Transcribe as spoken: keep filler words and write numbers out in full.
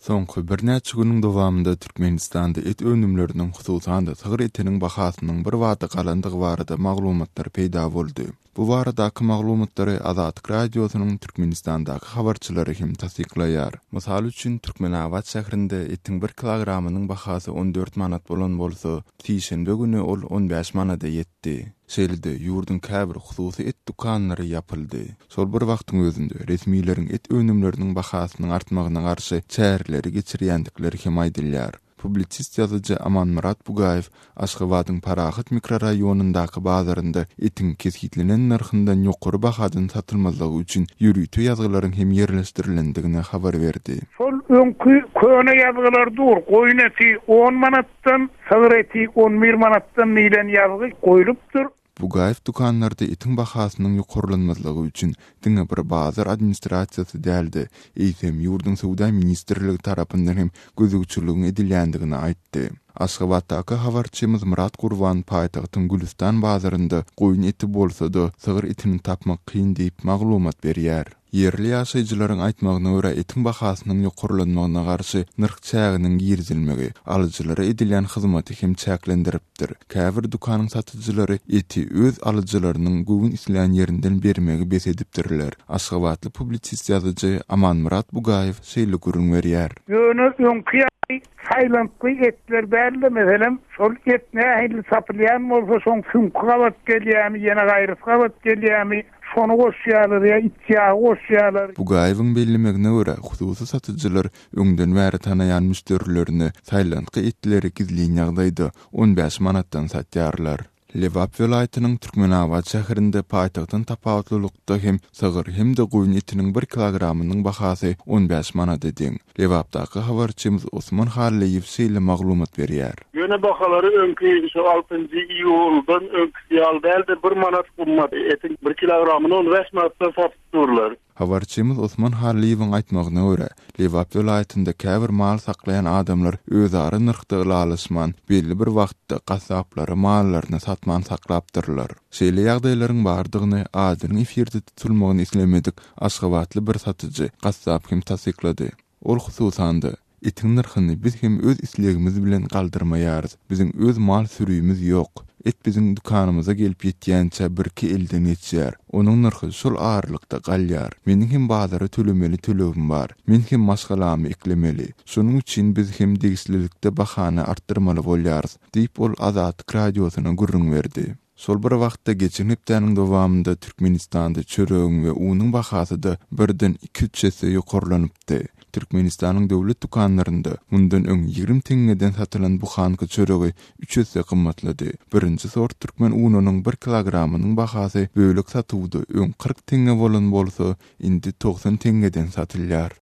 Soňky birnäçe günüň dowamynda Türkmenistanda et önümleriniň, hususan-da sygyr etiniň bahasynyň birbada galandygy barada maglumatlar peýda boldy. Bu baradaky maglumatlary Azatlyk Radiosynyň Türkmenistandaky habarçylary hem tassyklaýar. Mysal üçin, Türkmenabat şäherinde etiň bir kilogramynyň bahasy on dört manat bolan bolsa, sişenbe güni ol on bäş manada ýetdi. Şeýle-de, ýurduň käbir hususy et dükanlary ýapyldy. Şol bir wagtyň özünde, resmileriň et önümleriniň bahasynyň artmagyna garşy çäreleri geçirýändikleri hem aýdylýar. Publisist ýazyjy Amanmyrat Bugaýew Aşgabadyň Parahat mikroraýonyndaky bazarynda etiň kesgitlenen nyrhyndan ýokary bahadan satylmazlygy üçin ýörite ýazgylaryň hem ýerleşdirilendigini habar berdi. Şol öňki köne ýazgylar dur, goýun eti on manatdan, sygyr eti on bir manatdan diýlen ýazgy goýlupdyr. Bugaýew dükanlarda etiň bahasynyň ýokarlanmazlygy üçin diňe bir bazar administrasiýasy däldi, eýsem ýurduň söwda ministrligi tarapyndan hem gözegçiligiň edilýändigini aýtdy. Aşgabatdaky habarçymyz Myrat Gurban paýtagtyň Gülüstan bazarynda goýun eti bolsa-da sygyr etini tapmak kyn diýip maglumat berýär. Ýerli ýaşaýjylaryň aýtmagyna görä etiň bahasynyň ýokarlanmagyna garşy nyrh çäginiň girizilmegi alyjylara edilýän hyzmaty hem çäklendiripdir. Käbir dükanyň satyjylary eti öz alyjylarynyň göwün islän ýerinden bermegi bes edipdirler. Aşgabatly publisist ýazyjy Amanmyrat Bugaýew şeýle gürrüň berýär. Ýöne öňki ýaly saýlantgy etler däldi, meselem, şol et nähili satylýan bolsa, şoň süňki gabat gelýärmi, ýene gaýrysy gabat gelýärmi, şony goşýarlar ýa iç ýagy goşýarlar. Bugaýewiň bellemegine görä, hususy satyjylar öňden bäri tanaýan müşderilerine saýlantgy etleri gizlin ýagdaýda on bäş manatdan satýarlar. Lebap welaýatynyň Türkmenabat şäherinde paýtagtdan tapawutlylykda hem sygyr hem-de goýun etiniň bir kilogramynyň bahasy on bäş manada deň. Lebapdaky habarçymyz Osman Hallyýew şeýle maglumat berýär. Ýöne bahalary öňki şu altynjy iýuldan öňküsi ýaly däldi, bir manat gymmat. Etiň bir kilogramyny on bäş manatdan satyp durlar. Habarçymyz Osman Hallyýewiň aýtmagyna görä, Lebap welaýatynda käbir mal saklaýan adamlar özara nyrhda ylalaşman, belli bir wagtda gassaplara mallaryny satman saklapdyrlar. Şeýle ýagdaýlaryň bardygyny adynyň efirde tutulmagyny islemedik Aşgabatly bir satyjy gassap hem tassyklady. Ol hususan-da, etiň nyrhyny biz hem öz islegimiz bilen galdyrmaýarys. Biziň öz mal sürümiz ýok. Et biziň dükanymyza gelip ýetýänçä birki elden geçýär. Onuň nyrhy şol aralykda galýar. Meniň hem bazara tölemeli tölegim bar. Men hem maşgalamy eklemeli. Şonuň üçin biz hem degişlilikde bahany artdyrmaly bolýarys, diýip ol Azatlyk radiosyna gürrüň berdi. Şol bir wagtda geçen hepdäniň dowamynda Türkmenistanda çöregiň we unuň bahasy-da birden iki-üç esse ýokarlanypdy. Türkmenistanyň döwlet dükanlarynda mundan öň ýigrimi teňňeden satylan buhanka çöregi üç esse gymmatlady. Birinji sort türkmen ununyň bir kilogramynyň bahasy bölek satuwda öň kyrk teňňe bolan bolsa, indi togsan teňňeden satylýar.